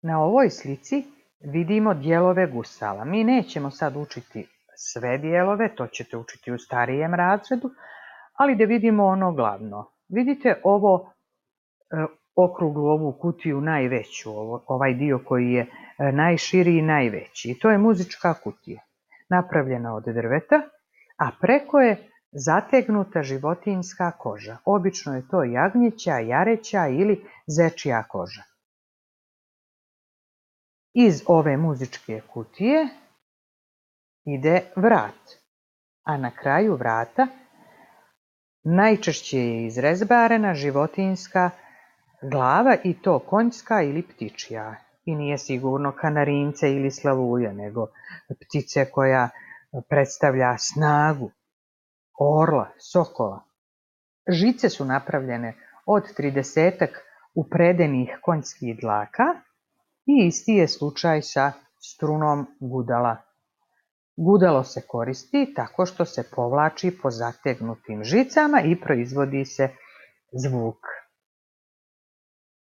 Na ovoj slici vidimo dijelove gusala. Mi nećemo sad učiti sve dijelove, to ćete učiti u starijem razredu, ali da vidimo ono glavno. Vidite okruglu ovu kutiju najveću, ovaj dio koji je najširi i najveći. I to je muzička kutija, napravljena od drveta, a preko je zategnuta životinjska koža. Obično je to jagnjeća, jareća ili zečja koža. Iz ove muzičke kutije ide vrat, a na kraju vrata najčešće je izrezbarena životinjska glava i to konjska ili ptičja. I nije sigurno kanarince ili slavulja, nego ptice koja predstavlja snagu, orla, sokola. Žice su napravljene od 30 upredenih konjskih dlaka i isti je slučaj sa strunom gudala. Gudalo se koristi tako što se povlači po zategnutim žicama i proizvodi se zvuk.